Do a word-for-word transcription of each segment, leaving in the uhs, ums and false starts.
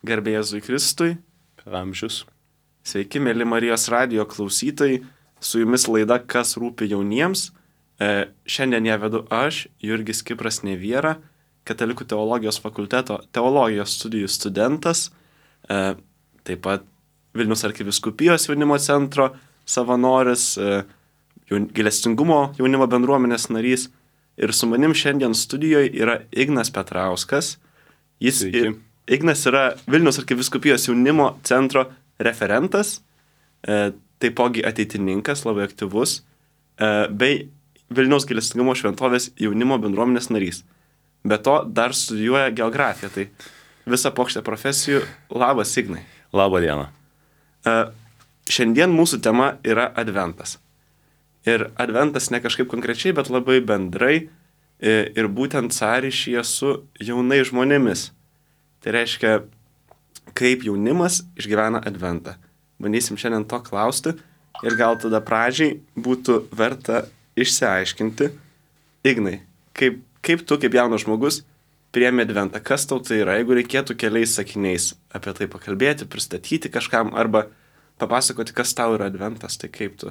Garbė Jėzui Kristui. Per amžius. Sveiki, mėly Marijos radijo klausytojai. Su jumis laida Kas rūpi jauniems. E, šiandien ją vedu aš, Jurgis Kipras Neviera, Katalikų teologijos fakulteto teologijos studijų studentas, e, taip pat Vilniaus arkivyskupijos jaunimo centro savanoris, e, jaun, gailestingumo jaunimo bendruomenės narys. Ir su manim šiandien studijoje yra Ignas Petrauskas. Jis ir, Ignas yra Vilniaus arkivyskupijos jaunimo centro referentas, e, taipogi ateitininkas, labai aktyvus, e, bei Vilniaus gailestingumo šventovės jaunimo bendruomenės narys. Be to dar studijuoja geografiją, tai visa pokštė profesijų. Labas, Ignai. Labą dieną. E, šiandien mūsų tema yra Adventas. Ir Adventas ne kažkaip konkrečiai, bet labai bendrai e, ir būtent sąryšyje su jaunais žmonėmis. Tai reiškia, kaip jaunimas išgyvena Adventą. Bandysim šiandien to klausti ir gal tada pradžiai būtų verta išsiaiškinti. Ignai, kaip, kaip tu, kaip jaunas žmogus, priėmė Adventą? Kas tau tai yra? Jeigu reikėtų keliais sakiniais apie tai pakalbėti, pristatyti kažkam arba papasakoti, kas tau yra Adventas, tai kaip tu,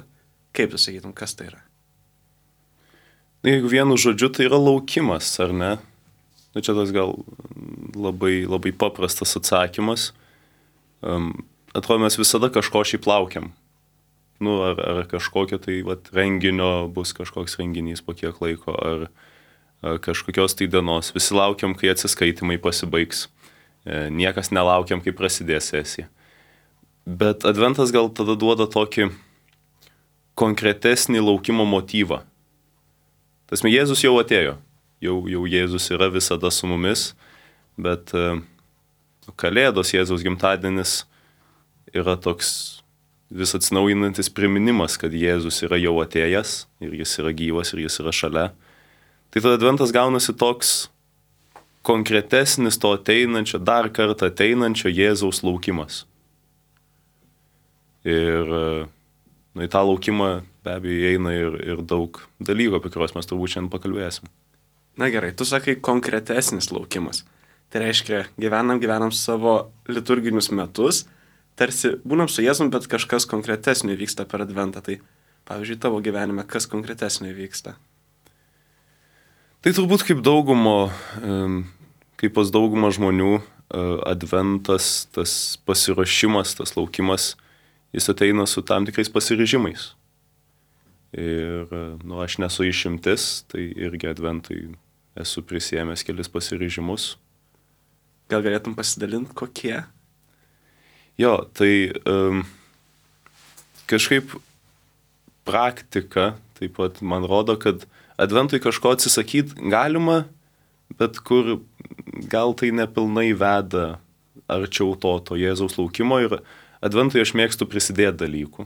kaip tu sakytum, kas tai yra? Na, jeigu vienu žodžiu, tai yra laukimas, ar ne? Na, čia tas gal labai, labai paprastas atsakymas. Um, atrodo, mes visada kažko šiaip laukiam. Nu, ar, ar kažkokio tai vat, renginio bus kažkoks renginys po kiek laiko, ar, ar kažkokios tai dienos. Visi laukiam, kai atsiskaitimai pasibaigs. E, niekas nelaukiam, kai prasidės sesija. Bet Adventas gal tada duoda tokį konkretesnį laukimo motyvą. Tasme, Jėzus jau atėjo. Jau, jau Jėzus yra visada su mumis, bet e, Kalėdos, Jėzaus gimtadienis yra toks vis atsinaujinantis priminimas, kad Jėzus yra jau atėjęs ir jis yra gyvas ir jis yra šalia. Tai tada Adventas gaunasi toks konkretesnis to ateinančio, dar kartą ateinančio Jėzaus laukimas. Ir nu, į tą laukimą be abejo eina ir, ir daug dalykų, apie kuriuos mes turbūt šiandien pakalbėsim. Na gerai, tu sakai konkretesnis laukimas. Tai reiškia, gyvenam, gyvenam savo liturginius metus, tarsi būnam su Jėzum, bet kažkas konkretesnio vyksta per Adventą. Tai, pavyzdžiui, tavo gyvenime, kas konkretesnio vyksta? Tai turbūt kaip daugumo, kaip pas daugumą žmonių, Adventas, tas pasiruošimas, tas laukimas, jis ateina su tam tikrais pasiryžimais. Ir, nu, aš nesu išimtis, tai irgi Adventui esu prisiėmęs kelis pasiryžimus. Gal galėtum pasidalinti, kokie? Jo, tai um, kažkaip praktika taip pat man rodo, kad Adventui kažko atsisakyti galima, bet kur gal tai nepilnai veda arčiau to, to Jėzaus laukimo ir Adventui aš mėgstu prisidėti dalykų.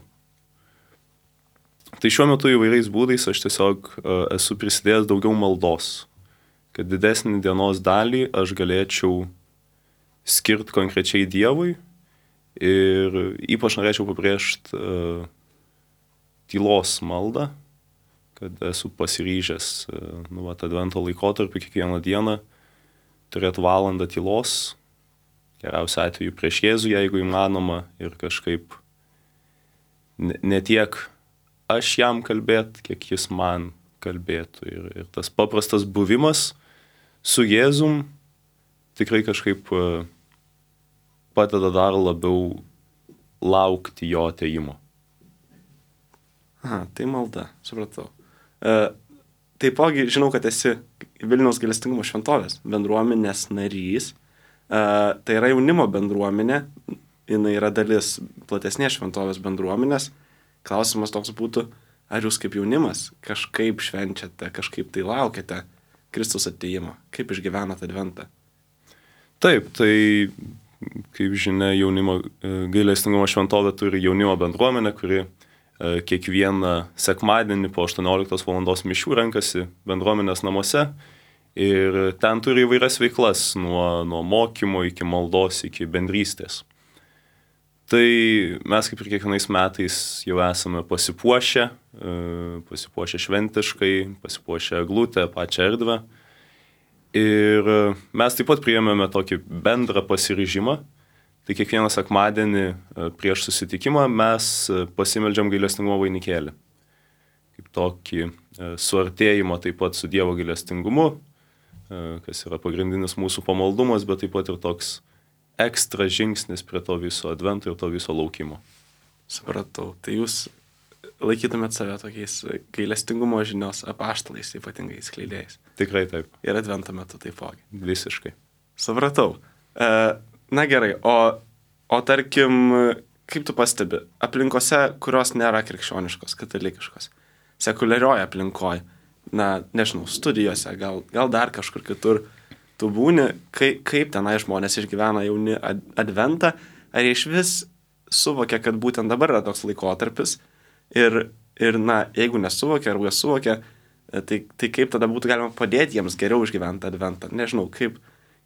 Tai šiuo metu įvairiais būdais aš tiesiog uh, esu prisidėjęs daugiau maldos, kad didesnį dienos dalį aš galėčiau skirti konkrečiai Dievui. Ir ypač norėčiau pabrėžti uh, tylos maldą, kad esu pasiryžęs uh, nu, vat, Advento laikotarpį kiekvieną dieną turėti valandą tylos, geriausiu atveju prieš Jėzų, jeigu įmanoma, ir kažkaip ne, ne tiek aš jam kalbėt, kiek jis man kalbėtų. Ir, ir tas paprastas buvimas su Jėzum tikrai kažkaip uh, padeda dar labiau laukti jo atėjimo. Aha, tai malda, supratau. E, taipogi, žinau, kad esi Vilniaus gailestingumo šventovės bendruomenės narys. E, tai yra jaunimo bendruomenė, jinai yra dalis platesnės šventovės bendruomenės. Klausimas toks būtų, ar jūs kaip jaunimas kažkaip švenčiate, kažkaip tai laukiate Kristus atėjimo? Kaip išgyvenate Adventą? Taip, tai kaip žinia, jaunimo gailestingumo šventovė turi jaunimo bendruomenę, kuri kiekvieną sekmadienį po aštuonioliktos valandos mišių renkasi bendruomenės namuose ir ten turi įvairias veiklas, nuo, nuo mokymo iki maldos, iki bendrystės. Tai mes kaip ir kiekvienais metais jau esame pasipuošę, pasipuošę šventiškai, pasipuošę eglutę, pačią erdvę. Ir mes taip pat priėmėme tokį bendrą pasiryžimą, tai kiekvieną sekmadienį prieš susitikimą mes pasimeldžiam gailestingumo vainikėlį. Kaip tokį suartėjimą taip pat su Dievo gailestingumu, kas yra pagrindinis mūsų pamaldumas, bet taip pat ir toks ekstra žingsnis prie to viso advento ir to viso laukimo. Supratau. Tai jūs laikytumėt save tokiais gailestingumo žinios apaštalais, ypatingai skleidėjais. Tikrai taip. Ir advento metu taipogi. Visiškai. Supratau. E, na gerai, o, o tarkim, kaip tu pastebi, aplinkose, kurios nėra krikščioniškos, katalikiškos, sekuliarioje aplinkoje, na, nežinau, studijose, gal, gal dar kažkur kitur, tu būni, kaip, kaip tenai žmonės išgyvena jauni ad, adventą, ar jie iš vis suvokia, kad būtent dabar yra toks laikotarpis ir, ir na, jeigu nesuvokia, ar jie suvokia, tai, tai kaip tada būtų galima padėti jiems geriau išgyventi adventą. Nežinau, kaip,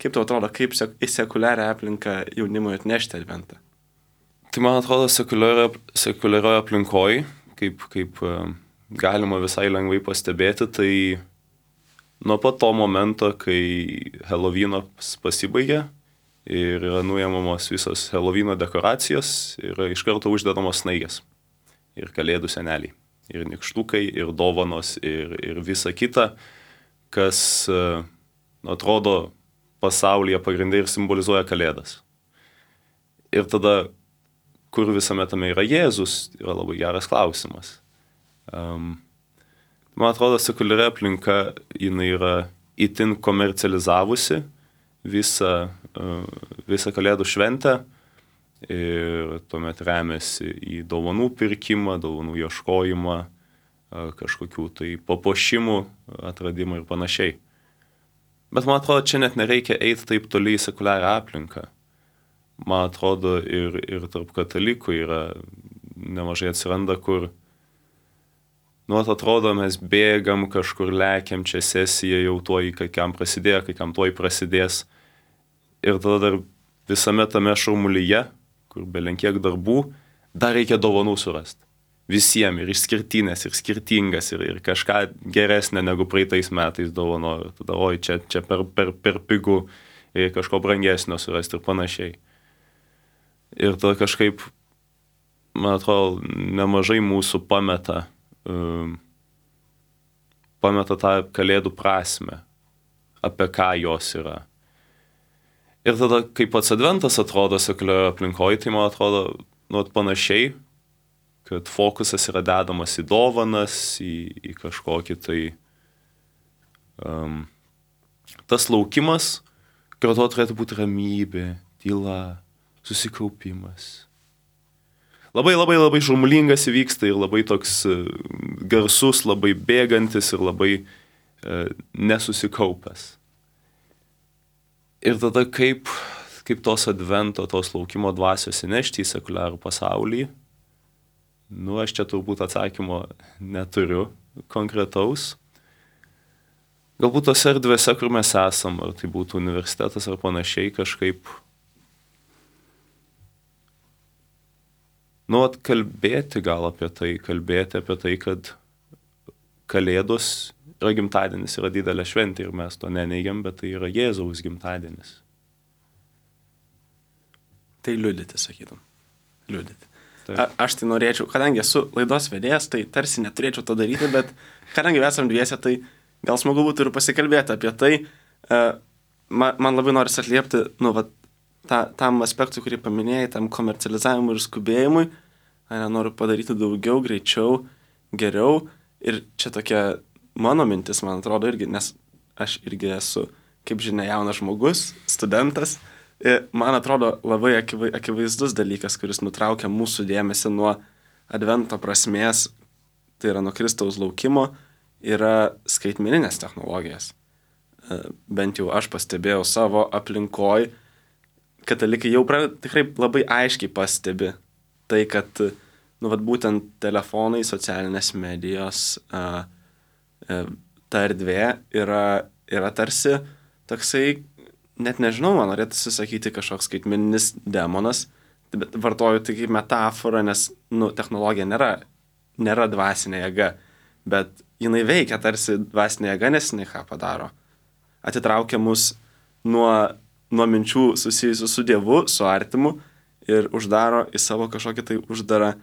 kaip tau atrodo, kaip sek, į sekuliarią aplinką jaunimui atnešti adventą? Tai man atrodo, sekuliarioje aplinkoje, kaip, kaip galima visai lengvai pastebėti, tai nuo pat to momento, kai Helovynas pasibaigė ir yra nuėmamos visos Helovyno dekoracijos, yra iš karto uždedamos snaigės ir kalėdų seneliai, ir nykštukai, ir dovanos, ir, ir visa kita, kas uh, atrodo pasaulyje pagrindai ir simbolizuoja kalėdas. Ir tada, kur visame tame yra Jėzus, yra labai geras klausimas. Um, man atrodo, sekuliari aplinka, jinai yra itin komercializavusi visą, uh, visą kalėdų šventę ir tuomet remiasi į dovanų pirkimą, dovanų ieškojimą, uh, kažkokių tai papuošimų atradimą ir panašiai. Bet man atrodo, čia net nereikia eiti taip toli į sekuliarią aplinką. Man atrodo, ir, ir tarp katalikų yra nemažai atsiranda, kur nu, atrodo, mes bėgam, kažkur lekiam, čia sesija jau tuoj, kai kam prasidėjo, kai kam tuoj prasidės. Ir tada dar visame tame šurmulyje, kur belenkiek darbų, dar reikia dovanų surasti. Visiems, ir išskirtinės, ir skirtingas, ir, ir kažką geresnė negu praeitais metais dovanoju. Tada, oi, čia, čia per, per, per pigų, reikia kažko brangesnio surasti ir panašiai. Ir tada kažkaip, man atrodo, nemažai mūsų pameta Um, pameta tą kalėdų prasmę, apie ką jos yra. Ir tada, kaip pats adventas atrodo sekuliarioje aplinkoje, tai man atrodo nu, panašiai, kad fokusas yra dedamas į dovanas, į, į kažkokį tai um, tas laukimas, kartu turėtų būti ramybė, tyla, susikaupimas. Labai, labai, labai šurmulingas įvyksta ir labai toks garsus, labai bėgantis ir labai e, nesusikaupęs. Ir tada kaip, kaip tos advento, tos laukimo dvasios įnešti į sekuliarų pasaulį, nu, aš čia turbūt atsakymo neturiu konkretaus. Galbūt tose erdvėse, kur mes esam, ar tai būtų universitetas ar panašiai, kažkaip nu, kalbėti gal apie tai, kalbėti apie tai, kad kalėdos yra gimtadienis, yra didelė šventė ir mes to neneigiam, bet tai yra Jėzaus gimtadienis. Tai liudyti, sakytum. Liudyti. A, aš tai norėčiau, kadangi esu laidos vedėjas, tai tarsi neturėčiau to daryti, bet kadangi esam dviese, tai gal smagu būtų ir pasikalbėti apie tai. Man, man labai norisi atliepti, nu, va, Ta, tam aspektui, kurį paminėjai, tam komercializavimui ir skubėjimui, ne, noriu padaryti daugiau, greičiau, geriau. Ir čia tokia mano mintis, man atrodo, irgi, nes aš irgi esu, kaip žinia, jaunas žmogus, studentas. Ir man atrodo labai akivaizdus dalykas, kuris nutraukia mūsų dėmesį nuo advento prasmės, tai yra nuo Kristaus laukimo, yra skaitmeninės technologijas. Bent jau aš pastebėjau savo aplinkoj, katalikai jau pra, tikrai labai aiškiai pastebi tai, kad nu, vat, būtent telefonai, socialinės medijos, a, a, ta erdvė yra, yra tarsi toksai, net nežinau, man norėtųsi sakyti kažkoks skaitmeninis demonas, bet vartoju tai kaip metaforą, nes nu, technologija nėra, nėra dvasinė jėga, bet jinai veikia tarsi dvasinė jėga, nes jinai ką padaro. Atitraukia mus nuo nuo minčių susijusių su Dievu, su artimu, ir uždaro į savo kažkokį tai uždarą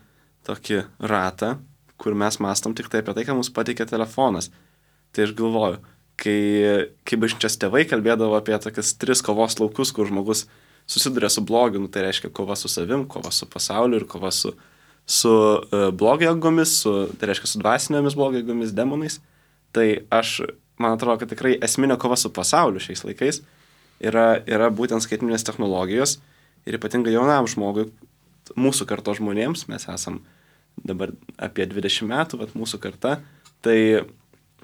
tokį ratą, kur mes mastom tik tai apie tai, ką mums pateikia telefonas. Tai aš galvoju, kai, kai bažnyčios tėvai kalbėdavo apie tokias tris kovos laukus, kur žmogus susiduria su blogiu, nu, tai reiškia kova su savim, kova su pasauliu ir kova su, su uh, blogio jėgomis, su, tai reiškia su dvasinėmis blogio jėgomis, demonais. Tai aš, man atrodo, kad tikrai esminė kova su pasauliu šiais laikais yra, yra būtent skaitmeninės technologijos ir ypatingai jaunam žmogui, mūsų kartos žmonėms, mes esam dabar apie dvidešimt metų, bet mūsų karta, tai,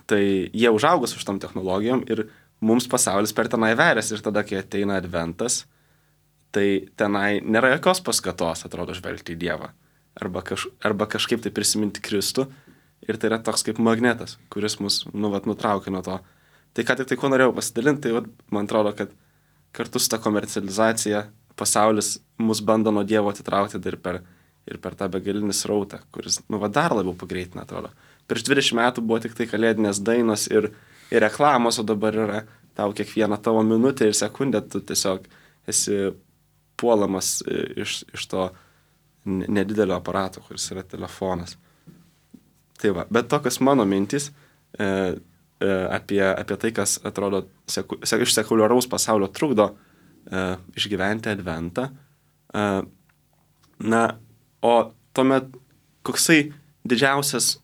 tai jie užaugo su šitom technologijom ir mums pasaulis per tenai verės ir tada, kai ateina adventas, tai tenai nėra jokios paskatos, atrodo, žvelgti į Dievą arba, kaž, arba kažkaip tai prisiminti Kristų ir tai yra toks kaip magnetas, kuris mus, nu, vat, nutraukia nuo to. Tai ką tik tai, ko norėjau pasidalinti, tai vat, man atrodo, kad kartu su ta komercializacija pasaulis mus bando nuo Dievo atitraukti ir per, ir per tą begalinį srautą, kuris, nu, va, dar labiau pagreitina, atrodo. Prieš dvidešimt metų buvo tik tai kalėdinės dainos ir, ir reklamos, o dabar yra tau kiekvieną tavo minutę ir sekundę, tu tiesiog esi puolamas iš, iš to nedidelio aparato, kuris yra telefonas. Tai va, bet tokios mano mintys e, e, apie, apie tai, kas atrodo seku, sek, iš sekuliaraus pasaulio trukdo e, išgyventi adventą. E, na, o tuomet koksai didžiausias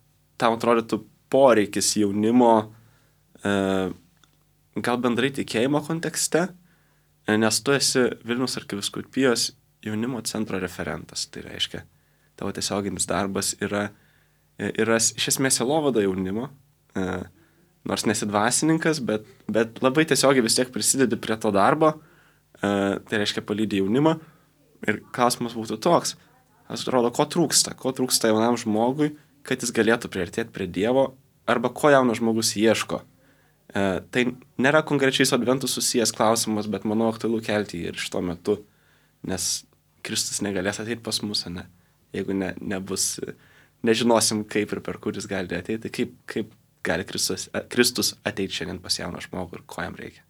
tau atrodytų poreikis jaunimo, e, gal bendrai tikėjimo kontekste, e, nes tu esi Vilniaus arkivyskupijos jaunimo centro referentas. Tai reiškia, tavo tiesioginis darbas yra yra iš esmės sielovada jaunimo, e, nors nesi dvasininkas, bet, bet labai tiesiogiai vis tiek prisidedi prie to darbo, e, tai reiškia palydi jaunimą. Ir klausimas būtų toks, aš atrodo, ko trūksta, ko trūksta jaunam žmogui, kad jis galėtų priartėti prie Dievo, arba ko jaunas žmogus ieško. E, tai nėra konkrečiai su adventu susijęs klausimas, bet manau aktualu kelti ir šito metu, nes Kristus negalės ateiti pas mus, ne, jeigu ne, nebus... nežinosim, kaip ir per kur jis gali ateiti, kaip, kaip gali Kristus, Kristus ateiti šiandien pas jauną žmogų ir ko jam reikia.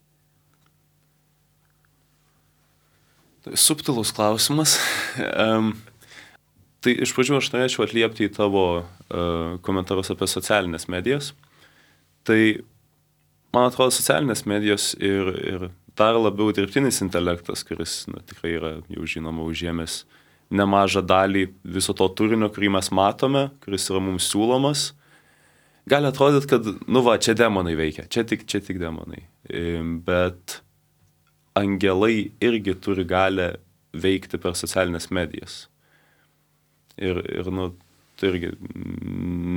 Tai subtilus klausimas. um, tai iš pradžių aš norėčiau atliepti į tavo uh, komentarus apie socialinės medijas. Tai, man atrodo, socialinės medijos ir, ir dar labiau dirbtinis intelektas, kuris na, tikrai yra jau žinoma užėmęs nemažą dalį viso to turinio, kurį mes matome, kuris yra mums siūlomas, gali atrodyti, kad, nu va, čia demonai veikia, čia tik, čia tik demonai. Bet angelai irgi turi galę veikti per socialinės medijas. Ir, ir nu, tu irgi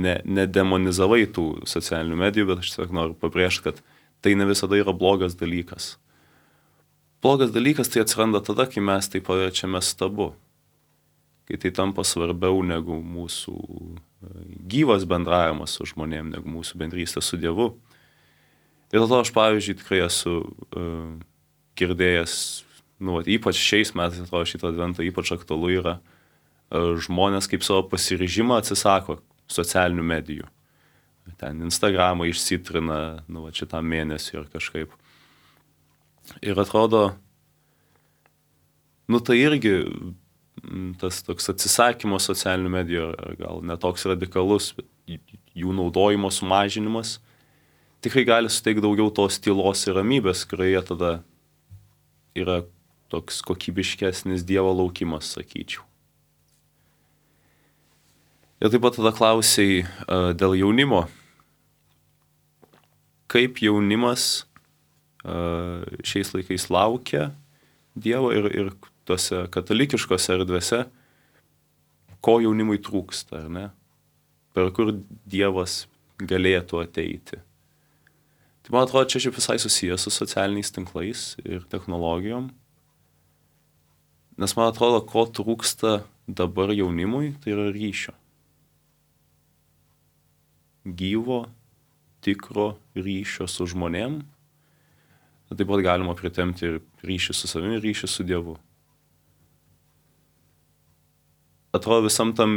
ne, nedemonizavai tų socialinių medijų, bet aš tiesiog noriu pabrėžti, kad tai ne visada yra blogas dalykas. Blogas dalykas tai atsiranda tada, kai mes tai paverčiame stabu. Kai tai tampa svarbiau negu mūsų gyvas bendravimas su žmonėm, negu mūsų bendrystė su Dievu. Ir dėl to aš, pavyzdžiui, tikrai esu uh, girdėjęs, nu, ypač šiais metais, atrodo, šito advento ypač aktualu yra, uh, žmonės kaip savo pasiryžimą atsisako socialinių medijų. Ten Instagramą išsitrina, nu, šitam mėnesiui ir kažkaip. Ir atrodo, nu, tai irgi tas toks atsisakymo socialinių medijų, gal netoks radikalus, bet jų naudojimo sumažinimas, tikrai gali suteikti daugiau tos tylos ir ramybės, kurioje tada yra toks kokybiškesnis Dievo laukimas, sakyčiau. Ir taip pat tada klausiai uh, dėl jaunimo. Kaip jaunimas uh, šiais laikais laukia Dievo ir, ir tuose katalikiškose erdvėse, ko jaunimui trūksta, ar ne? Per kur Dievas galėtų ateiti. Tai man atrodo, čia šiaip visai susijęs su socialiniais tinklais ir technologijom. Nes man atrodo, ko trūksta dabar jaunimui, tai yra ryšio. Gyvo, tikro ryšio su žmonėm. Taip pat galima pritemti ir ryšį su savimi, ir ryšį su Dievu. Atrodo, visam tam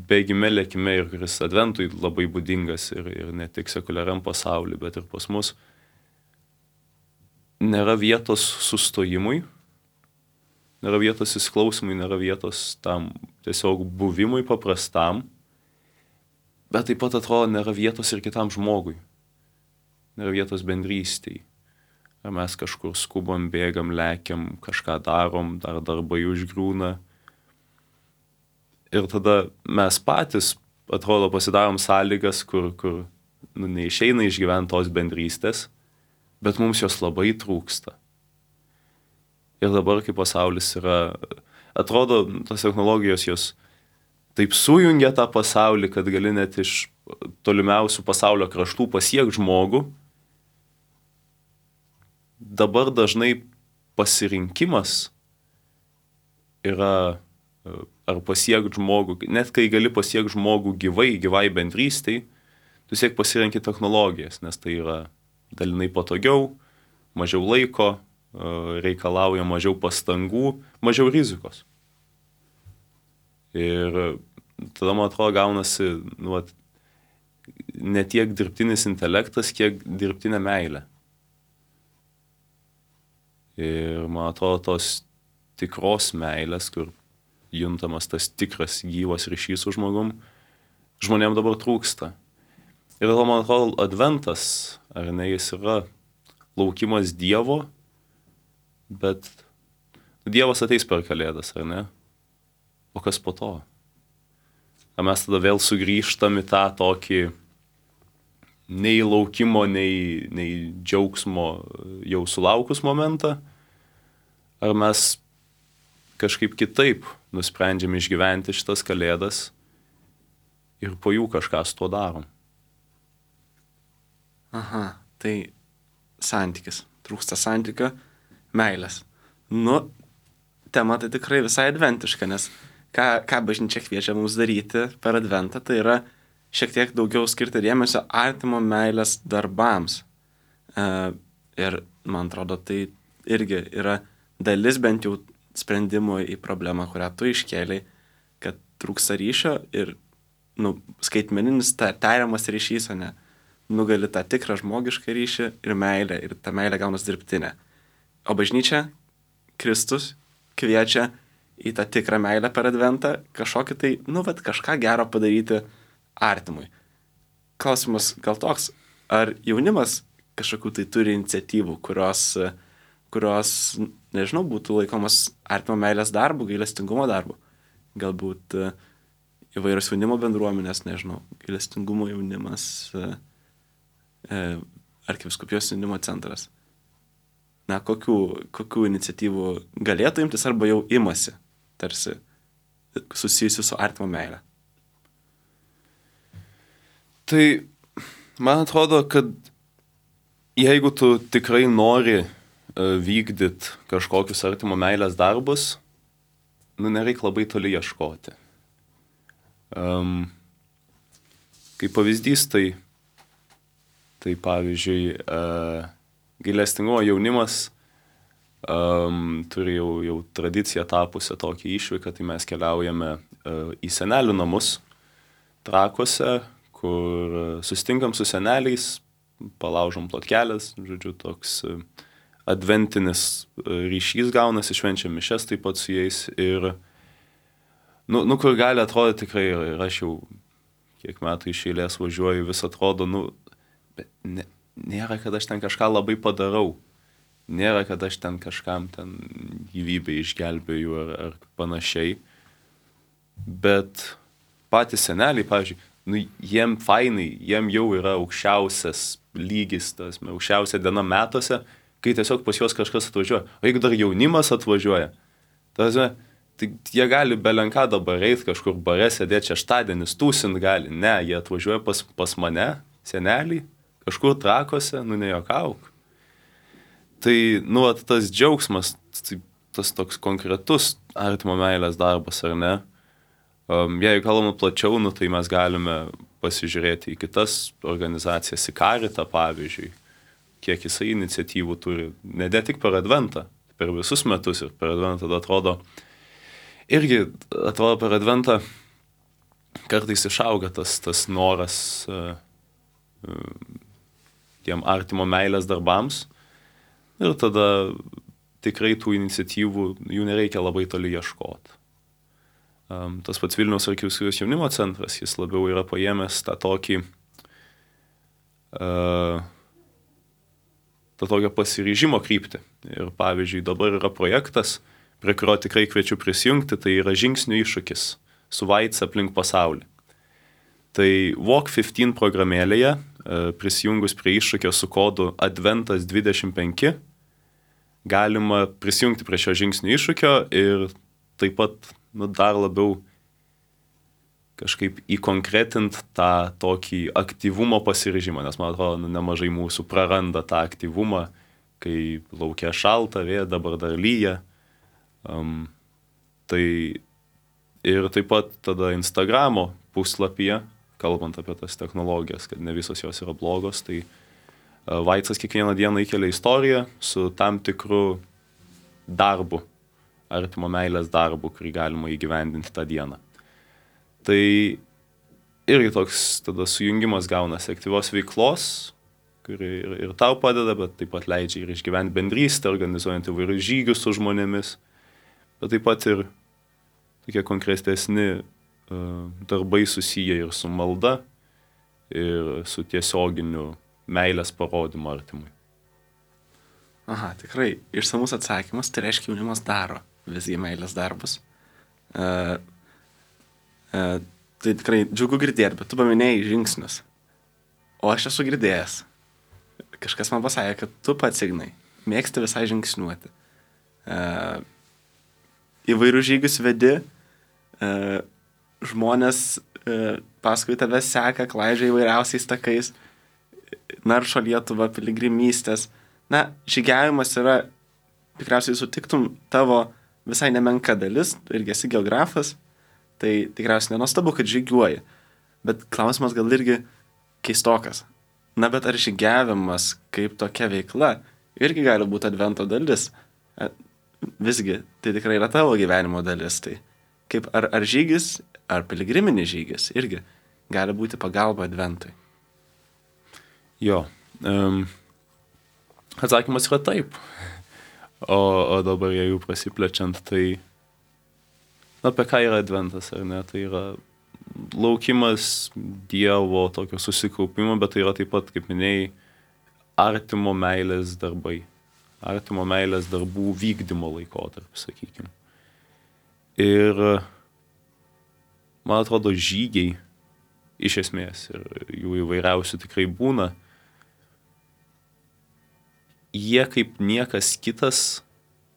bėgime lėkime ir kuris adventui labai būdingas ir, ir ne tik sekuliariam pasauliu, bet ir pas mus, nėra vietos sustojimui nėra vietos įsiklausimui, nėra vietos tam tiesiog buvimui paprastam, bet taip pat atrodo nėra vietos ir kitam žmogui, nėra vietos bendrystėj. Ar mes kažkur skubam, bėgam, lekiam, kažką darom, dar darbai užgriūna. Ir tada mes patys, atrodo, pasidarom sąlygas, kur, kur nu, neišeina išgyventi tos bendrystės, bet mums jos labai trūksta. Ir dabar, kai pasaulis yra, atrodo, tos technologijos jos taip sujungia tą pasaulį, kad gali net iš tolimiausių pasaulio kraštų pasiekti žmogų. Dabar dažnai pasirinkimas yra ar pasiekti žmogų, net kai gali pasiekti žmogų gyvai, gyvai bendrystei, tu siek pasirenki technologijas, nes tai yra dalinai patogiau, mažiau laiko, reikalauja mažiau pastangų, mažiau rizikos. Ir tada, man atrodo, gaunasi nu, ne tiek dirbtinis intelektas, kiek dirbtinė meilė. Ir man atrodo, tos tikros meilės, kur juntamas tas tikras gyvas ryšys su žmogum, žmonėm dabar trūksta. Ir tada, man atrodo, adventas, ar ne, jis yra laukimas Dievo, bet Dievas ateis per Kalėdas, ar ne? O kas po to? Ar mes tada vėl sugrįžtam į tą tokį nei laukimo, nei, nei džiaugsmo jau sulaukus momentą? Ar mes kažkaip kitaip nusprendžiam išgyventi šitas Kalėdas ir po jų kažką su tuo darom? Aha, tai santykis. Trūksta santykio, meilės. Nu, tema tai tikrai visai adventiška, nes ką, ką bažnyčia kviečia mums daryti per adventą, tai yra šiek tiek daugiau skirti dėmesio artimo meilės darbams. E, ir man atrodo, tai irgi yra dalis bent jau sprendimų į problemą, kurią tu iškėlei, kad trūksta ryšio ir nu, skaitmeninis ta, tariamas ryšys, o ne nugali tą tikrą žmogišką ryšį ir meilę, ir ta meilė gaunas dirbtinė. O bažnyčia, Kristus, kviečia į tą tikrą meilę per adventą, kažkokį tai, nu, vat, kažką gero padaryti artimui. Klausimas gal toks, ar jaunimas kažkokių tai turi iniciatyvų, kurios, kurios, nežinau, būtų laikomas artimo meilės darbu, gailestingumo darbu. Galbūt įvairios jaunimo bendruomenės, nežinau, gailestingumo jaunimas, arkivyskupijos jaunimo centras. Na, kokių, kokių iniciatyvų galėtų imtis arba jau imasi, tarsi susijusių su artimo meilė? Tai man atrodo, kad jeigu tu tikrai nori vykdyti kažkokius artimo meilės darbus, nu, nereik labai toli ieškoti. Um, kaip pavyzdys, tai, tai pavyzdžiui, uh, gailestingumo jaunimas um, turi jau, jau tradiciją tapusią tokį išvyką, tai mes keliaujame uh, į senelių namus Trakuose, kur susitinkam su seneliais, palaužom plotkelės, žodžiu, toks uh, adventinis uh, ryšys gaunasi, švenčiam mišes taip pat su jais ir nu, nu kur gali atrodyti tikrai, ir aš jau kiek metų iš eilės važiuoju, vis atrodo, nu, bet ne, nėra, kad aš ten kažką labai padarau. Nėra, kad aš ten kažkam ten gyvybę išgelbėju ar, ar panašiai. Bet patys seneliai, pavyzdžiui, nu, jiem fainai, jiem jau yra aukščiausias lygis, tas, aukščiausia diena metuose, kai tiesiog pas juos kažkas atvažiuoja. O jeigu dar jaunimas atvažiuoja, tas, tai jie gali belenką dabar eit kažkur bare, sėdėti šeštadienis, tūsint gali. Ne, jie atvažiuoja pas, pas mane, seneliai, kažkur Trakuose, nu nejuokauk. Tai, nu, at, tas džiaugsmas, tas toks konkretus artimo meilės darbas, ar ne? Um, jeigu kalbame plačiau, nu, tai mes galime pasižiūrėti į kitas organizacijas, į Karitą, pavyzdžiui, kiek jisai iniciatyvų turi, ne tik per adventą, per visus metus ir per adventą, tada atrodo, irgi atrodo per adventą kartais išauga tas, tas noras uh, uh, tiem artimo meilės darbams ir tada tikrai tų iniciatyvų, jų nereikia labai toli ieškoti. Um, tas pats Vilniaus arkivyskupijos jaunimo centras, jis labiau yra paėmęs tą tokį, uh, tą tokią pasiryžimo kryptį. Ir pavyzdžiui, dabar yra projektas, prie kurio tikrai kviečiu prisijungti, tai yra žingsnių iššūkis su Vaits aplink pasaulį. Tai Walk penkiolika programėlėje, uh, prisijungus prie iššūkio su kodu Adventas dvidešimt penki, galima prisijungti prie šio žingsnių iššūkio ir taip pat nu, dar labiau kažkaip įkonkretint tą tokį aktyvumo pasiryžimą, nes man atrodo, nu, nemažai mūsų praranda tą aktyvumą, kai laukia šalta, vėja, dabar dar lyja. Um, tai ir taip pat tada Instagramo puslapyje, kalbant apie tas technologijas, kad ne visos jos yra blogos, tai uh, Vaitsas kiekvieną dieną įkelia istoriją su tam tikru darbu, artimo meilės darbu, kurį galima įgyvendinti tą dieną. Tai irgi toks tada sujungimas gaunasi aktyvios veiklos, kuri ir, ir tau padeda, bet taip pat leidžia ir išgyventi bendrystę, organizuojant įvairius žygius su žmonėmis, bet taip pat ir tokie konkretesni uh, darbai susiję ir su malda, ir su tiesioginiu meilės parodymu artimui. Aha, tikrai, išsamus atsakymas, tai reiškia jaunimas daro visgi meilės darbus. Uh, uh, tai tikrai džiugu girdėti, bet tu paminėjai žingsnius. O aš esu girdėjęs. Kažkas man pasakė, kad tu pats, Ignai, mėgsti visai žingsniuoti. Uh, įvairių žygius vedi, uh, žmonės uh, paskui tave seka, klaidžia įvairiausiais takais, naršo Lietuvą, piligrimystės. Na, žygiavimas yra, tikriausiai sutiktum, tavo visai nemenka dalis, tu irgi esi geografas, tai tikriausiai nenuostabu, kad žygiuoji. Bet klausimas gal irgi keistokas. Na, bet ar žygiavimas kaip tokia veikla irgi gali būti advento dalis? Visgi, tai tikrai yra tavo gyvenimo dalis. Tai kaip ar, ar žygis, ar piligriminis žygis irgi gali būti pagalba adventui? Jo. Um... Atsakymas yra taip. O, o dabar jeigu prasiplečiant, tai na, apie ką yra adventas, ar ne? Tai yra laukimas Dievo tokio susikaupimo, bet tai yra taip pat, kaip minėjai, artimo meilės darbai. Artimo meilės darbų vykdymo laikotarpis, sakykime. Ir man atrodo, žygiai iš esmės, ir jų įvairiausių tikrai būna, jie kaip niekas kitas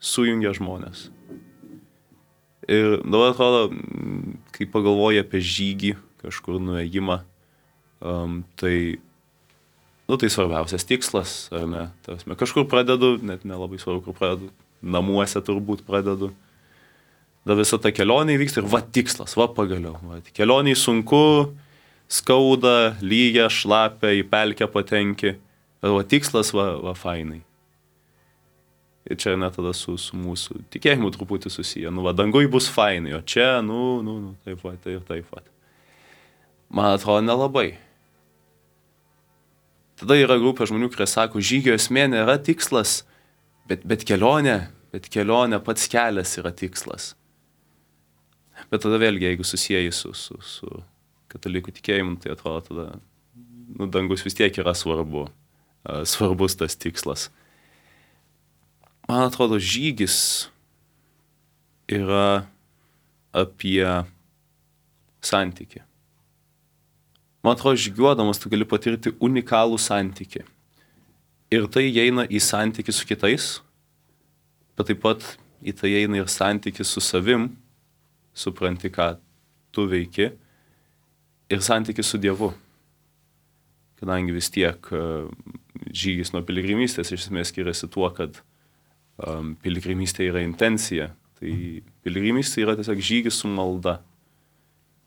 sujungia žmonės. Ir dabar atrodo, kai pagalvoju apie žygį, kažkur nuėjimą, um, tai, nu, tai svarbiausias tikslas, ar ne? Tarsi, kažkur pradedu, net nelabai svarbu, kur pradedu, namuose turbūt pradedu. Da visa ta kelionė vyksta ir va tikslas, va pagaliau. Va, kelionė sunku, skauda, lyja, šlapia, į pelkę patenki. Bet va tikslas, va, va fainai. Ir čia net tada su, su mūsų tikėjimu truputį susiję. Nu, va, dangui bus fainai, o čia, nu, nu, nu, taip va, tai ir taip va. Man atrodo, nelabai. Tada yra grupė žmonių, kurie sako, žygio esmė nėra tikslas, bet, bet kelionė, bet kelionė pats kelias yra tikslas. Bet tada vėlgi, jeigu susijai su, su, su katalikų tikėjimu, tai atrodo, tada, nu, dangus vis tiek yra svarbu. Svarbus tas tikslas. Man atrodo, žygis yra apie santykį. Man atrodo, žygiuodamas tu gali patirti unikalų santykį. Ir tai įeina į santykį su kitais, bet taip pat į tai įeina ir santykį su savim, supranti, ką tu veiki, ir santykį su Dievu. Kadangi vis tiek uh, žygis nuo piligrimystės iš esmės skiriasi tuo, kad um, piligrimystė yra intencija. Tai piligrimystė yra tiesiog žygis su malda.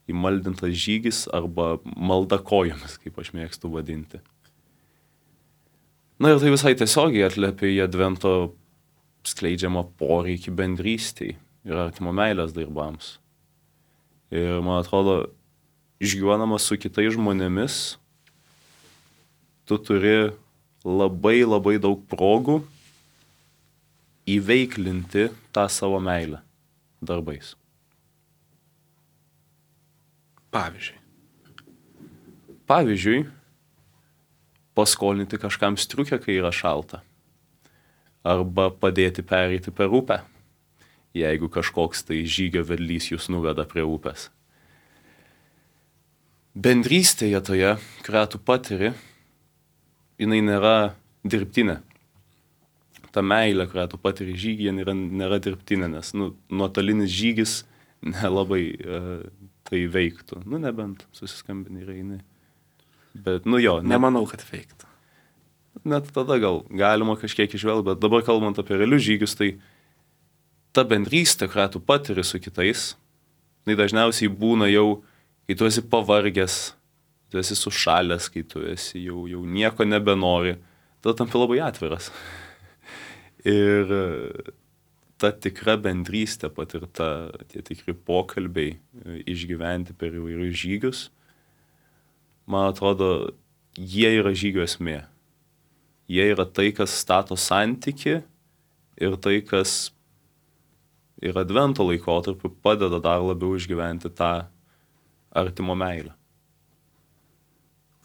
Įmaldintas žygis arba malda kojomis, kaip aš mėgstu vadinti. Na ir tai visai tiesiogiai atliepia į advento skleidžiamą poreikį bendrystei ir artimo meilės darbams. Ir man atrodo, žygiuodamas su kitais žmonėmis, tu turi labai labai daug progų įveiklinti tą savo meilę darbais. Pavyzdžiui. Pavyzdžiui, paskolinti kažkam striukę, kai yra šalta. Arba padėti pereiti per upę, jeigu kažkoks tai žygio vedlys jūs nuveda prie upės. Bendrystėje toje, kurią tu patiri, jinai nėra dirbtinė. Ta meilė, kurią tu patiri žygyje, nėra, nėra dirbtinė, nes nu, nuotolinis žygis nelabai uh, tai veiktų. Nu, nebent susiskambini ir eini. Bet, nu jo. Net, Nemanau, kad veiktų. Net tada gal galima kažkiek išvelgti, bet dabar kalbant apie realius žygius, tai ta bendrystė, kurią tu patiri su kitais, tai dažniausiai būna jau, kai tu esi pavargęs, tu esi sušalęs, kai tu esi jau, jau nieko nebenori, tada tampi labai atviras. Ir ta tikra bendrystė patirta, tie tikri pokalbiai išgyventi per įvairius žygius, man atrodo, jie yra žygio esmė. Jie yra tai, kas stato santykį ir tai, kas ir advento laikotarpiu padeda dar labiau išgyventi tą artimo meilę.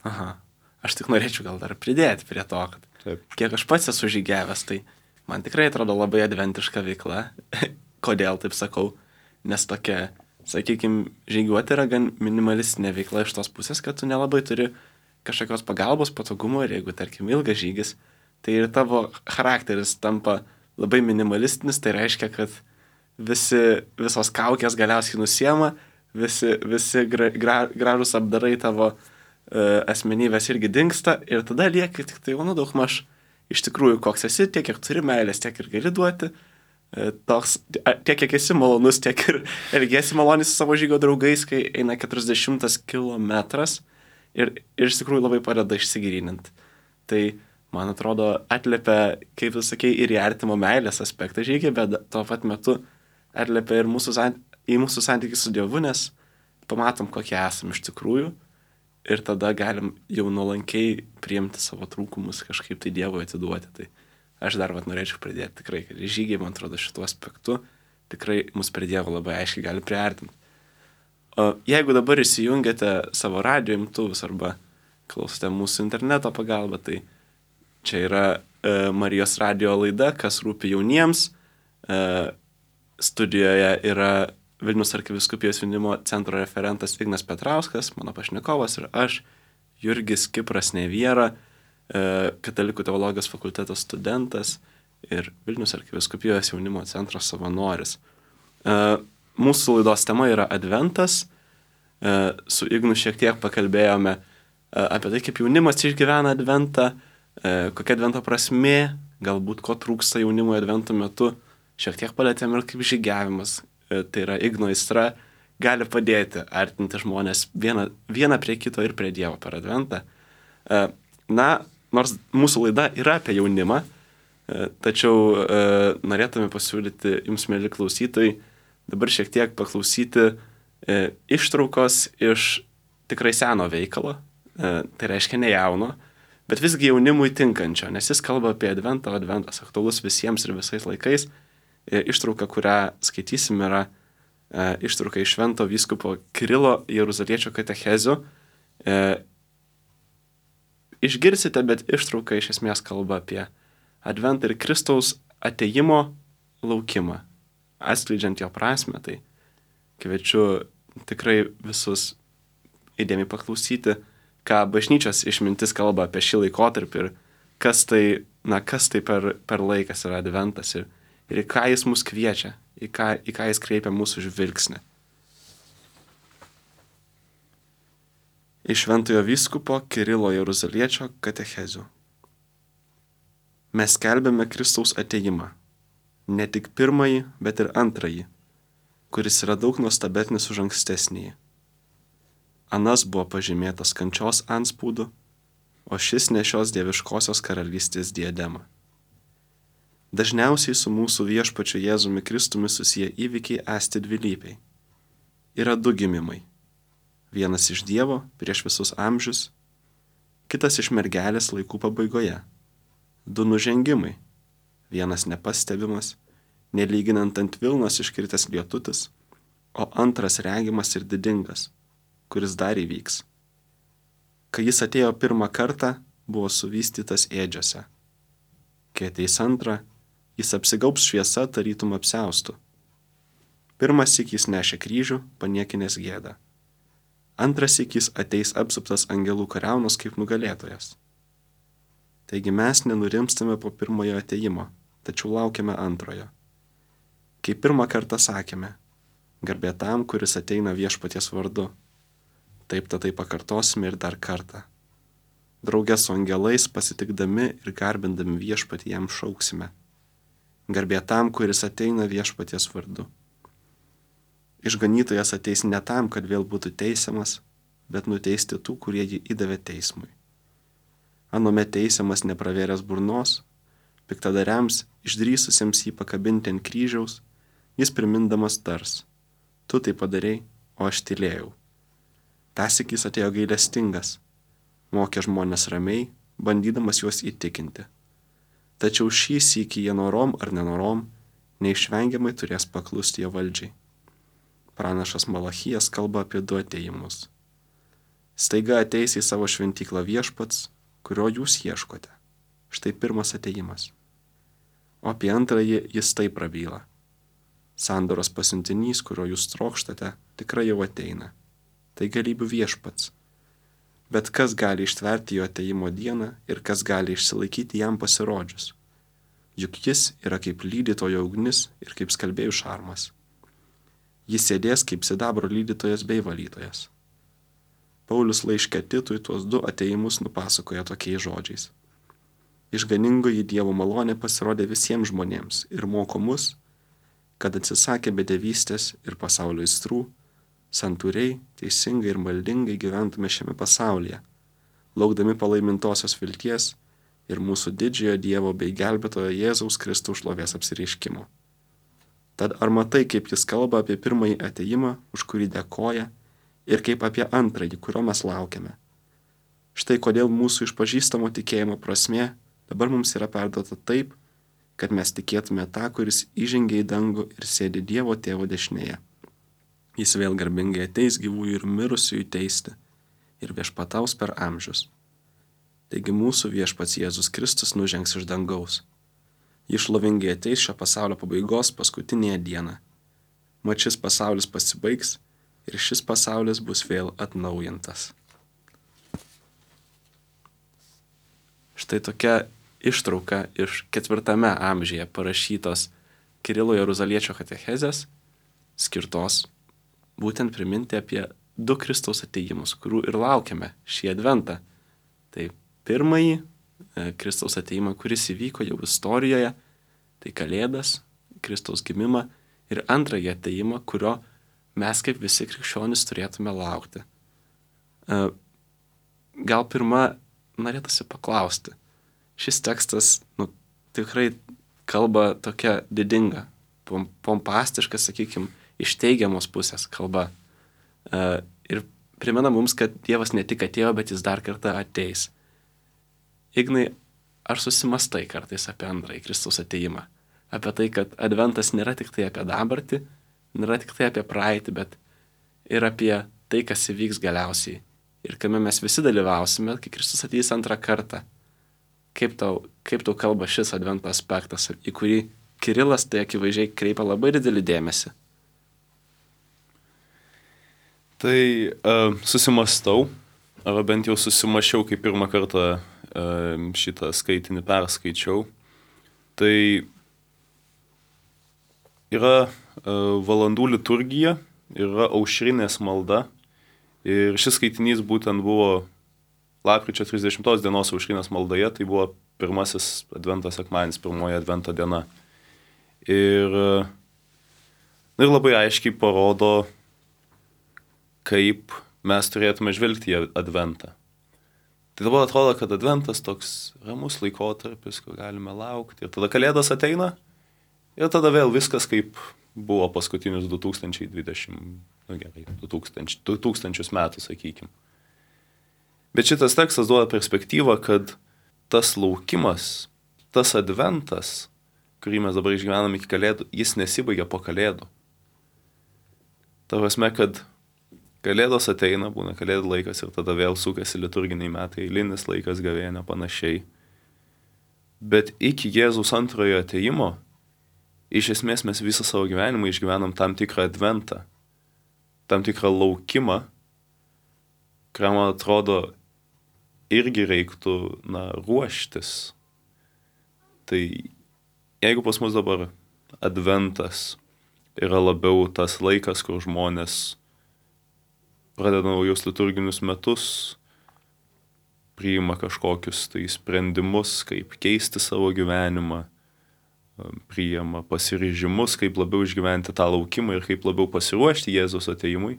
Aha. Aš tik norėčiau gal dar pridėti prie to, kad Taip. Kiek aš pats esu žygiavęs, tai man tikrai atrodo labai adventiška veikla. Kodėl taip sakau? Nes tokia, sakykime, žygiuoti yra gan minimalistinė veikla iš tos pusės, kad tu nelabai turi kažkokios pagalbos, patogumo ir jeigu, tarkim, ilgas žygis, tai ir tavo charakteris tampa labai minimalistinis, tai reiškia, kad visi, visos kaukės galiausiai nusiema, visi, visi gra, gra, gražus apdarai tavo uh, asmenybės irgi dingsta ir tada lieki tik tai, nu, daug maž iš tikrųjų, koks esi, tiek, kiek turi meilės, tiek ir gali duoti, uh, toks, tiek, kiek esi malonus, tiek ir elgiesi maloniai su savo žygio draugais, kai eina keturiasdešimtas kilometras. Ir, ir iš tikrųjų labai padeda išsigryninti. Tai, man atrodo, atliepia, kaip tu sakei, ir į artimo meilės aspektą žygį, bet tuo pat metu atliepia ir mūsų, į mūsų santykį su Dievu, nes pamatom, kokie esame iš tikrųjų ir tada galim jau nuolankiai priimti savo trūkumus, kažkaip tai Dievui atiduoti. Tai aš dar vat norėčiau pridėti tikrai, kad žygiai, man atrodo, šituo aspektu tikrai mus prie Dievo labai aiškiai gali priartinti. O jeigu dabar įsijungiate savo radijo imtuvus arba klausote mūsų interneto pagalba, tai čia yra e, Marijos radijo laida, kas rūpi jauniems. E, studijoje yra Vilniaus arkivyskupijos jaunimo centro referentas Ignas Petrauskas, mano pašnekovas ir aš, Jurgis Kipras Neviera, e, Katalikų teologijos fakulteto studentas ir Vilniaus arkivyskupijos jaunimo centro savanoris. E, Mūsų laidos tema yra Adventas. Su Ignu šiek tiek pakalbėjome apie tai, kaip jaunimas išgyvena Adventą, kokia Advento prasmė, galbūt ko trūksta jaunimo Advento metu. Šiek tiek palėtėm ir kaip žygiavimas, tai yra Igno aistra, gali padėti artinti žmonės vieną, vieną prie kito ir prie Dievo per Adventą. Na, nors mūsų laida yra apie jaunimą, tačiau norėtume pasiūlyti jums, mėly klausytojai, dabar šiek tiek paklausyti e, ištraukos iš tikrai seno veikalo, e, tai reiškia ne jauno, bet visgi jaunimui tinkančio, nes jis kalba apie Adventą, Adventas aktualus visiems ir visais laikais. E, ištrauka, kurią skaitysim, yra e, ištrauka iš švento vyskupo Kirilo Jeruzaliečio katechezių. E, išgirsite, bet ištrauka iš esmės kalba apie Adventą ir Kristaus atėjimo laukimą. Atskleidžiant jo prasme, tai kviečiu tikrai visus įdėmiai paklausyti, ką bažnyčios išmintis kalba apie šį laikotarpį ir kas tai, na, kas tai per, per laikas yra Adventas ir, ir į ką jis mus kviečia, į ką, į ką jis kreipia mūsų žvilgsnį. Iš šventojo vyskupo Kirilo Jeruzaliečio katechezių. Mes skelbiame Kristaus atėjimą. Ne tik pirmąjį, bet ir antrąjį, kuris yra daug nuostabesnis už ankstesnįjį. Anas buvo pažymėtas kančios antspaudu, o šis nešios dieviškosios karalystės diademą. Dažniausiai su mūsų viešpačiu Jėzumi Kristumi susiję įvykiai esti dvilypiai. Yra du gimimai. Vienas iš Dievo prieš visus amžius, kitas iš mergelės laikų pabaigoje. Du nužengimai. vienas nepastebimas, nelyginant ant Vilnos iškritęs lietutis, o antras regimas ir didingas, kuris dar įvyks. Kai jis atėjo pirmą kartą, buvo suvystytas ėdžiose. Kai ateis antrą, jis apsigaups šviesa tarytum apsiaustų. Pirmas syk jis nešė kryžių, paniekinęs gėdą. Antras syk jis ateis apsuptas angelų kariaunos kaip nugalėtojas. Taigi mes nenurimstame po pirmojo atėjimo, tačiau laukiame antrojo. Kai pirmą kartą sakėme, garbė tam, kuris ateina viešpaties vardu, taip tatai pakartosime ir dar kartą. Drauge su angelais pasitikdami ir garbindami viešpatį jam šauksime. Garbė tam, kuris ateina viešpaties vardu. Išganytojas ateis ne tam, kad vėl būtų teisiamas, bet nuteisti tų, kurie jį įdavė teismui. Anome teisiamas nepravėręs burnos, piktadariams, išdrįsusiems jį pakabinti ant kryžiaus, jis primindamas tars. Tu tai padarei, o aš tylėjau. Tąsyk jis atėjo gailestingas, mokė žmonės ramiai, bandydamas juos įtikinti. Tačiau šį sykį jie norom ar nenorom neišvengiamai turės paklusti jo valdžiai. Pranašas Malachijas kalba apie du atėjimus. Staiga ateis į savo šventyklą viešpats, kurio jūs ieškote. Štai pirmas atėjimas. O apie antrąjį jis taip prabyla. Sandoros pasiuntinys, kurio jūs trokštate, tikrai jau ateina. Tai galybių viešpats. Bet kas gali ištverti jo atėjimo dieną ir kas gali išsilaikyti jam pasirodžius? Juk jis yra kaip lydytojo ugnis ir kaip skalbėjų šarmas. Jis sėdės kaip sidabro lydytojas bei valytojas. Paulius laiške Titui tuos du atėjimus nupasakoja tokiais žodžiais. Išganingoji Dievo malonė pasirodė visiems žmonėms ir moko mus, kad atsisakę bedevystės ir pasaulio aistrų, santūriai, teisingai ir maldingai gyventume šiame pasaulyje, laukdami palaimintosios vilties ir mūsų didžiojo Dievo bei gelbėtojo Jėzaus Kristaus šlovės apsireiškimo. Tad ar matai, kaip jis kalba apie pirmąjį atėjimą, už kurį dėkoja, ir kaip apie antrąjį, kurio mes laukiame? Štai kodėl mūsų išpažįstamo tikėjimo prasmė dabar mums yra perduota taip, kad mes tikėtume tą, kuris įžengė į dangų ir sėdi Dievo tėvo dešinėje. Jis vėl garbingai ateis gyvųjų ir mirusiųjų teisti ir viešpataus per amžius. Taigi mūsų viešpats Jėzus Kristus nužengs iš dangaus. Jis šlovingai ateis šio pasaulio pabaigos paskutinėje dieną. Mat šis pasaulis pasibaigs ir šis pasaulis bus vėl atnaujintas. Štai tokia ištrauka iš ketvirtame amžiuje parašytos Kirilo Jeruzaliečio katechezės, skirtos būtent priminti apie du Kristaus atėjimus, kurių ir laukiame šį adventą. Tai pirmąjį Kristaus atėjimą, kuris įvyko jau istorijoje, tai Kalėdas, Kristaus gimimą, ir antrąjį atėjimą, kurio mes kaip visi krikščionys turėtume laukti. Gal pirma norėtųsi paklausti. Šis tekstas nu, tikrai kalba tokia didinga, pompastiška, sakykime, iš teigiamos pusės kalba. Ir primena mums, kad Dievas ne tik atėjo, bet jis dar kartą ateis. Ignai, ar susimastai kartais apie antrąjį Kristaus atėjimą? Apie tai, kad adventas nėra tik tai apie dabartį, nėra tik tai apie praeitį, bet ir apie tai, kas įvyks galiausiai. Ir kame mes visi dalyvausime, kai Kristus ateis antrą kartą. Kaip tau, kaip tau kalba šis advento aspektas, į kurį Kirilas tai akivaizdžiai kreipia labai didelį dėmesį? Tai uh, susimastau, arba bent jau susimašiau, kai pirmą kartą uh, šitą skaitinį perskaičiau. Tai yra uh, valandų liturgija, yra aušrinės malda. Ir šis skaitinys būtent buvo lapkričio trisdešimtos dienos aušrinės maldoje, tai buvo pirmasis advento sekmadienis, pirmoji advento diena. Ir, ir labai aiškiai parodo, kaip mes turėtume žvelgti į adventą. Tai dabar atrodo, kad adventas toks ramus laikotarpis, kur galime laukti. Ir tada Kalėdos ateina, ir tada vėl viskas kaip buvo paskutinius du tūkstančiai dvidešimt, nu gerai, du tūkstančius metų, sakykime. Bet šitas tekstas duoda perspektyvą, kad tas laukimas, tas adventas kurį mes dabar išgyvenam iki kalėdų, jis nesibaigia po kalėdų. Ta prasme, kad kalėdos ateina, būna kalėdų laikas ir tada vėl sukasi liturginiai metai, eilinis laikas, gavėnia, panašiai. Bet iki Jėzaus antrojo atėjimo, iš esmės mes visą savo gyvenimą išgyvenam tam tikrą adventą, tam tikrą laukimą, kuriam, man atrodo, irgi reiktų, na, ruoštis. Tai jeigu pas mus dabar adventas yra labiau tas laikas, kur žmonės pradeda naujus liturginius metus, priima kažkokius tai sprendimus, kaip keisti savo gyvenimą, priima pasiryžimus, kaip labiau išgyventi tą laukimą ir kaip labiau pasiruošti Jėzaus atėjimui.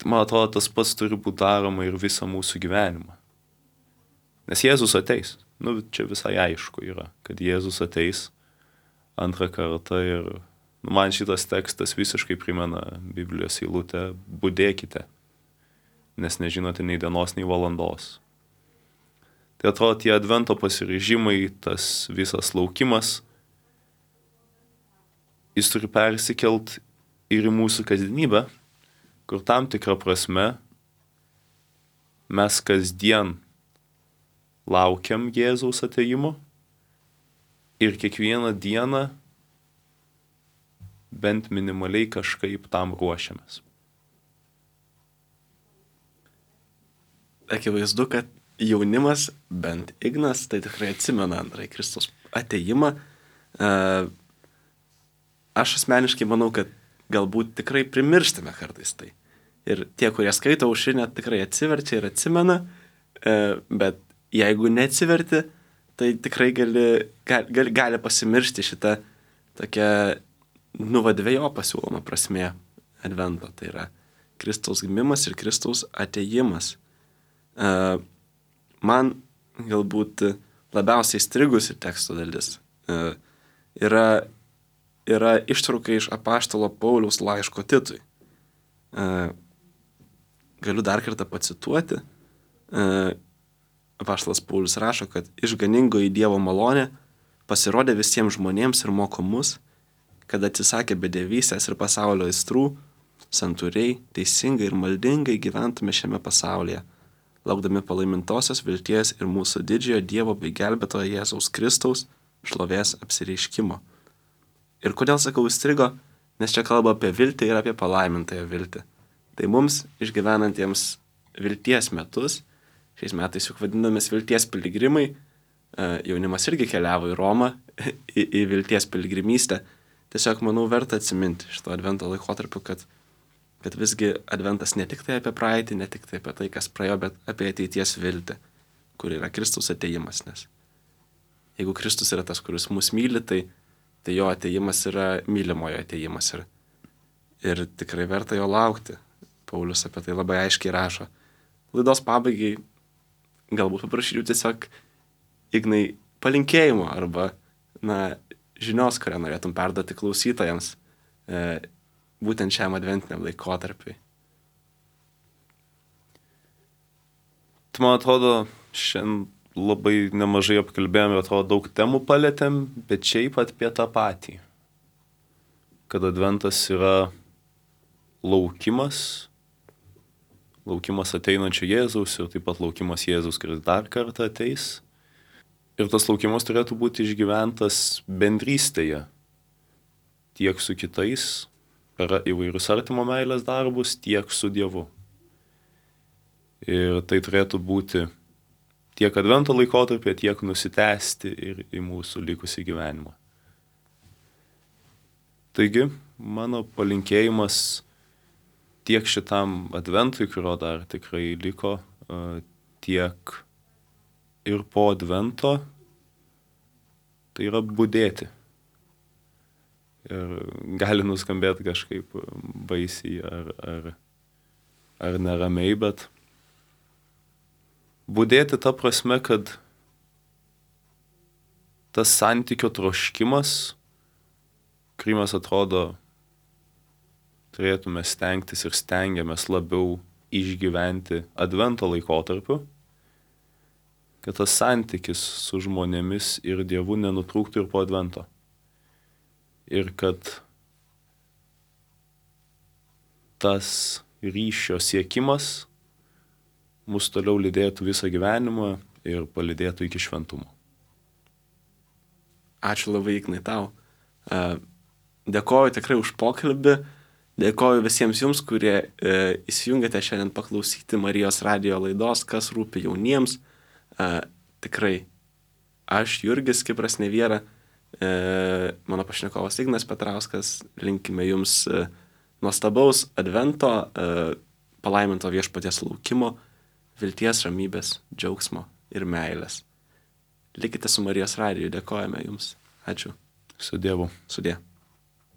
Man atrodo, tas pats turi būti daroma ir visą mūsų gyvenimą. Nes Jėzus ateis. Nu, čia visai aišku yra, kad Jėzus ateis antrą kartą ir nu, man šitas tekstas visiškai primena Biblijos eilutę budėkite, nes nežinote nei dienos, nei valandos. Tai atrodo, tie advento pasiryžimai, tas visas laukimas, jis turi persikelt ir į mūsų kasdienybę, kur tam tikrą prasme mes kasdien laukiam Jėzaus atėjimo ir kiekvieną dieną bent minimaliai kažkaip tam ruošiamės. Akivaizdu, kad jaunimas, bent Ignas, tai tikrai atsimena antrąjį Kristaus atėjimą. Aš asmeniškai manau, kad galbūt tikrai primirštame kartais tai. Ir tie, kurie skaito aušrinę, tikrai atsiverčia ir atsimena, bet jeigu neatsiverti, tai tikrai gali, gali, gali pasimiršti šitą tokią nuvadvėjo pasiūlomą prasmė advento. Tai yra Kristaus gimimas ir Kristaus atėjimas. Man galbūt labiausiai strigusi teksto dalis yra yra ištrauka iš apaštalo Pauliaus laiško Titui. Galiu dar kartą pacituoti. Apaštalas Paulius rašo, kad išganingoji Dievo malonė pasirodė visiems žmonėms ir moko mus, kad atsisakė bedevystės ir pasaulio aistrų, santūriai, teisingai ir maldingai gyventume šiame pasaulyje, laukdami palaimintosios vilties ir mūsų didžiojo Dievo bei gelbėtojo Jėzaus Kristaus šlovės apsireiškimo. Ir kodėl sakau įstrigo? Nes čia kalba apie viltį ir apie palaimintąją viltį. Tai mums išgyvenantiems vilties metus, šiais metais juk vadinamės vilties piligrimai, jaunimas irgi keliavo į Romą, į, į vilties piligrimystę. Tiesiog, manau, verta atsiminti šito advento laikotarpiu, kad, kad visgi adventas ne tik tai apie praeitį, ne tik tai apie tai, kas praėjo, bet apie ateities viltį, kur yra Kristus atėjimas. Nes jeigu Kristus yra tas, kuris mus myli, tai tai jo atėjimas yra mylimojo atėjimas ir, ir tikrai verta jo laukti. Paulius apie tai labai aiškiai rašo. Laidos pabaigai galbūt paprašyčiau tiesiog Ignai palinkėjimo arba na, žinios, kurią norėtum perduoti klausytojams e, būtent šiam adventiniam laikotarpiui. Tai man atrodo, šiandien labai nemažai apkalbėjom ir atrodo daug temų palėtėm, bet šiaip apie tą patį. Kad adventas yra laukimas, laukimas ateinančio Jėzaus ir taip pat laukimas Jėzaus, kuris dar kartą ateis. Ir tas laukimas turėtų būti išgyventas bendrystėje, tiek su kitais, per įvairius artimo meilės darbus, tiek su Dievu. Ir tai turėtų būti tiek advento laikotarpį, tiek nusitęsti ir į mūsų likusį gyvenimą. Taigi, mano palinkėjimas tiek šitam adventui, kurio dar tikrai liko, tiek ir po advento, tai yra budėti. Ir gali nuskambėti kažkaip baisiai ar, ar, ar neramiai, bet budėti ta prasme, kad tas santykio troškimas, kurį mes atrodo turėtume stengtis ir stengiamės labiau išgyventi advento laikotarpiu, kad tas santykis su žmonėmis ir Dievu nenutrūktų ir po advento. Ir kad tas ryšio siekimas mus toliau lydėtų visą gyvenimą ir palydėtų iki šventumo. Ačiū labai, Ignai, tau. Dėkoju tikrai už pokalbį. Dėkoju visiems jums, kurie e, įsijungėte šiandien paklausyti Marijos radijo laidos, kas rūpi jauniems. E, tikrai, aš, Jurgis Kipras Neviera, e, mano pašnekovas Ignas Petrauskas, linkime jums e, nuostabaus advento, e, palaiminto viešpaties laukimo, vilties, ramybės, džiaugsmo ir meilės. Likite su Marijos radiju, dėkojame jums. Ačiū. Su Dievu. Sudie.